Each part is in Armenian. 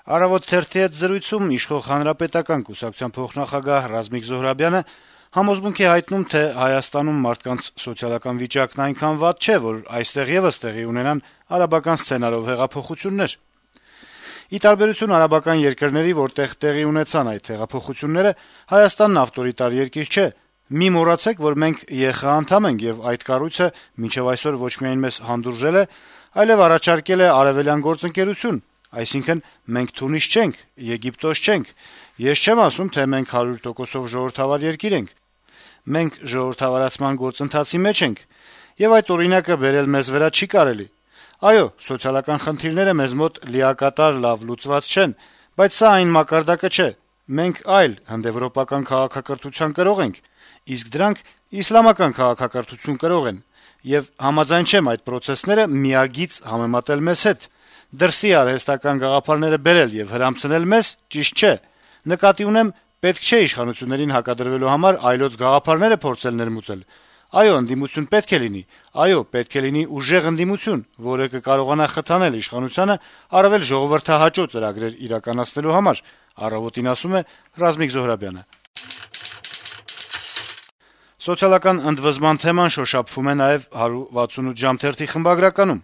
«Առավոտ» թերթի հետ զրույցում իշխող Հանրապետական կուսակցության փոխնախագահ Ռազմիկ Զոհրաբյանը համոզմունք է հայտնում, թե Հայաստանում մարդկանց սոցիալական վիճակն այնքան վատ չէ, որ այստեղ եւս տեղի ունենան արաբական սցենարով հեղափոխություններ։ Ի տարբերություն արաբական երկրների, որտեղ տեղի ունեցան այդ հեղափոխությունները, Հայաստանն ավտորիտար երկիր չէ։ Մի մոռացեք, որ մենք ԵԽ անդամ ենք, եւ այդ կառույցը մինչեւ այսօր ոչ միայն մեզ հանդուրժել է, այլեւ առաջարկել է արեւելյան գործընկերություն, այսինքն մենք Թունիս չենք, Եգիպտոս չենք։ Ես չեմ ասում, թե մենք 100%-ով ժողովրդավար երկիր ենք։ Մենք ժողովրդավարացման գործընթացի մեջ ենք, եւ այդ օրինակը բերել մեզ վրա չի կարելի։ Այո, սոցիալական խնդիրները մեզ մոտ լիակատար լավ լուծված չեն, բայց սա այն մակարդակը չէ։ Մենք այլ հնդեվրոպական քաղաքակրթության կրող ենք, իսկ դրանք իսլամական քաղաքակրթություն կրող են, եւ համաձայն չեմ այդ պրոցեսները միագիծ համեմատել մեզ հետ։ Դրսի արհեստական գաղափարները բերել եւ հրամցնել մեզ ճիշտ չէ։ Նկատի ունեմ, պետք չէ իշխանություններին հակադրվելու համար այլոց գաղափարները փորձել ներմուծել։ Այո, ընդդիմություն պետք է լինի, այո, պետք է լինի ուժեղ ընդդիմություն, որը կկարողանա խթանել իշխանությանը առավել ժողովրդահաճո ծրագրեր իրականացնելու համար, «Առավոտ»-ին ասում է Ռազմիկ Զոհրաբյանը։ Սոցիալական ընդվզման թեման շոշափվում է նաեւ 168 ժամ թերթի խմբագրականում։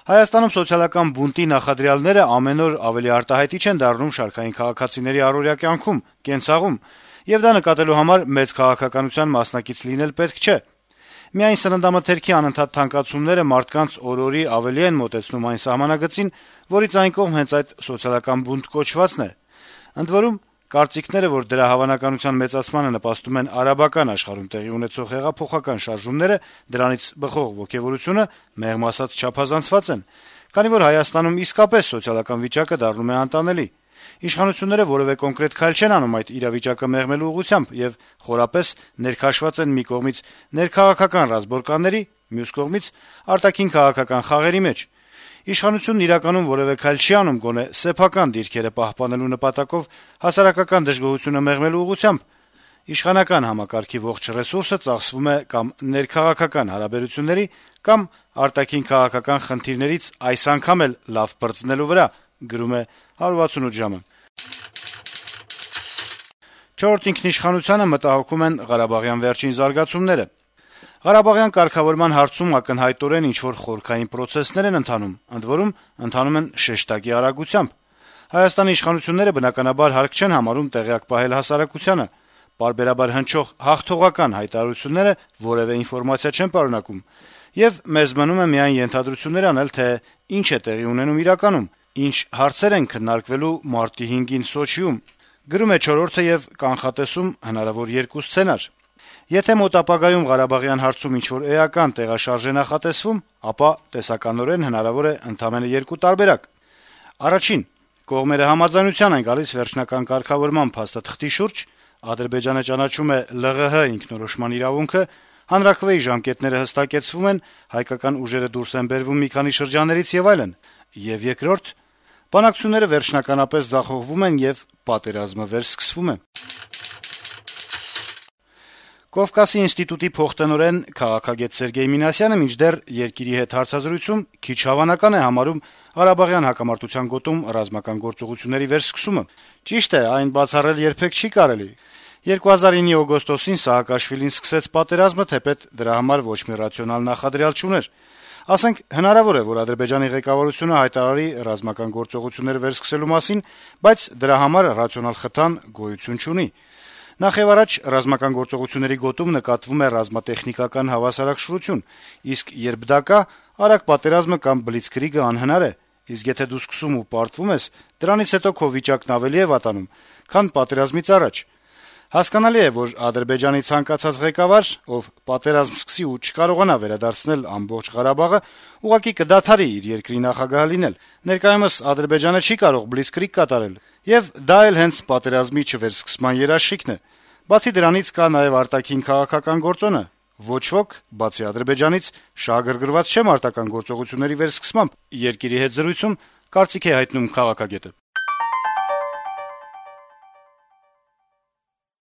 Հայաստանում սոցիալական բունտի նախադրյալները ամեն օր ավելի արտահայտիչ են դառնում շարքային քաղաքացիների առօրյա կյանքում, կենցաղում, եւ դա նկատելու համար մեծ քաղաքականության մասնակից լինել պետք չէ։ Միայն սննդամթերքի անընդհատ թանկացումները մարդկանց օր-օրի ավելի են մոտեցնում այն սահմանագծին, որից այն կողմ հենց այդ սոցիալական բունտ կոչվածն է։ Ընդ որում, կարծիքները, որ դրա հավանականության մեծացմանը նպաստում են արաբական աշխարհում տեղի ունեցող հեղափոխական շարժումները, դրանից բխող ոգևորությունը, մեղմ ասած, չափազանցված են, քանի որ Հայաստանում իսկապես սոցիալական վիճակը դառնում է անտանելի։ Իշխանությունները որևէ կոնկրետ քայլ չեն անում այդ իրավիճակը մեղմելու ուղղությամբ եւ խորապես ներքաշված են մի կողմից ներքաղաքական ռազմորկանների, մյուս կողմից արտաքին քաղաքական խաղերի մեջ։ Իշխանությունն իրականում որևէ քայլ չի անում գոնե սեփական դիրքերը պահպանելու նպատակով հասարակական դժգոհությունը մեղմելու ուղղությամբ։ Իշխանական համակարգի ողջ ռեսուրսը ծախսվում է կամ ներքաղաքական հարաբերությունների, կամ արտաքին քաղաքական խնդիրներից այս անգամ էլ լավ պրծնելու վրա, գրում է 168 ժամը։ Չորրորդ ինքնիշխանությանը մտահոգում են ղարաբաղյան վերջին զարգացումները։ Ղարաբաղյան կարգավորման հարցում ակնհայտորեն ինչ-որ խորքային պրոցեսներ են ընթանում, ընդ որում ընթանում են շեշտակի արագությամբ։ Հայաստանի իշխանությունները բնականաբար հարկ չեն համարում տեղյակ պահել հասարակությանը։ Պարբերաբար հնչող հաղթողական հայտարարությունները որևէ ինֆորմացիա չեն պարունակում, եւ մեզ մնում է միայն ենթադրություններ անել, թե ինչ է տեղի ունենում իրականում, ինչ հարցեր են քննարկվելու մարտի 5-ին Սոչիում։ Գրում է «Չորրորդը» եւ կանխատեսում հնարավոր երկու սցենար։ Եթե մոտ ապագայում Ղարաբաղյան հարցում ինչ-որ էական տեղաշարժ է նախատեսվում, ապա տեսականորեն հնարավոր է ընդամենը երկու տարբերակ։ Առաջին, կողմերը համաձայնության են գալիս վերջնական կարգավորման փաստաթղթի շուրջ, Ադրբեջանը ճանաչում է ԼՂՀ ինքնորոշման իրավունքը, հանրաքվեի ժամկետները հստակեցվում են, հայկական ուժերը դուրս են բերվում մի քանի շրջաններից եւ այլն։ Եվ երկրորդ, բանակցությունները վերջնականապես ձախողվում են եւ պատերազմը վերսկսվում է։ Կովկասի ինստիտուտի փոխտնօրեն քաղաքագետ Սերգեյ Մինասյանը մինչդեռ Երկիրի հետ հարցազրույցում քիչ հավանական է համարում Ղարաբաղյան հակամարտության գոտում ռազմական գործողությունների վերսկսումը։ Ճիշտ է, այն բացառել երբեք չի կարելի։ 2009-ի օգոստոսին Սաակաշվիլին սկսեց պատերազմը, թեպետ դրա համար ոչ մի ռացիոնալ նախադրյալ չուներ։ Ասենք, հնարավոր է, որ Ադրբեջանի ղեկավարությունը հայտարարի ռազմական գործողություններ վերսկսելու մասին, բայց դրա համար ռացիոնալ խթան գոյություն չունի։ Նախևառաջ ռազմական գործողությունների գոտում նկատվում է ռազմատեխնիկական հավասարակշռություն, իսկ երբ դա կա, արագ պատերազմը կամ բլիցկրիգը անհնար է, իսկ եթե դու սկսում ու պարտվում ես, դրանից հետո քո վիճակն ավելի է վատանում, քան պատերազմից առաջ։ Հասկանալի է, որ Ադրբեջանի ցանկացած ղեկավար, ով պատերազմ սկսի ու չկարողանա վերադարձնել ամբողջ Ղարաբաղը, ուղղակի կդադարի իր երկրի նախագահ լինել։ Ներկայումս Ադրբեջանը չի կարող բլիցկրիգ կատարել, եւ դա էլ հենց պատերազմի չվերսկսման երաշխիքն է։ Բացի դրանից կա նաեւ արտաքին քաղաքական գործոնը։ Ոչ ոք, բացի Ադրբեջանից, շահագրգռված չէ մարտական գործողությունների վերսկսմամբ։ Երկիրի հետ զրույցում կարծիք է հայտնում քաղաքագետը։